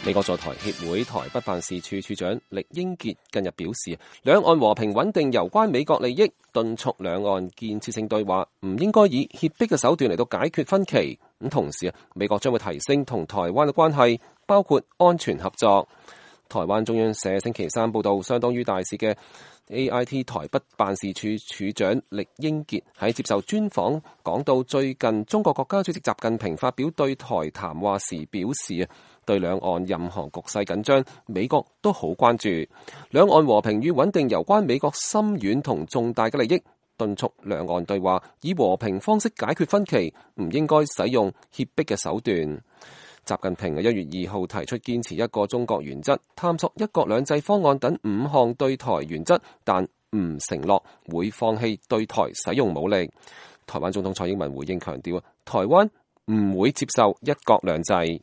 美國在台協會台北辦事處處長酈英傑近日表示，兩岸和平穩定攸關美國利益，敦促兩岸建設性對話，唔應該以脅迫嘅手段嚟到解決分歧。咁同時美國將會提升同台灣嘅關係，包括安全合作。台灣中央社星期三報道，相當於大使嘅 AIT 台北辦事處處長酈英傑喺接受專訪講到，最近中國國家主席習近平發表對台談話時表示，對兩岸任何局勢緊張，美國都好關注。兩岸和平與穩定攸關美國深遠同重大嘅利益，敦促兩岸對話以和平方式解決分歧，唔應該使用脅迫嘅手段。習近平喺1月2號提出堅持一個中國原則，探索一國兩制方案等5項對台原則，但唔承諾會放棄對台使用武力。台灣總統蔡英文回應強調，台灣唔會接受一國兩制。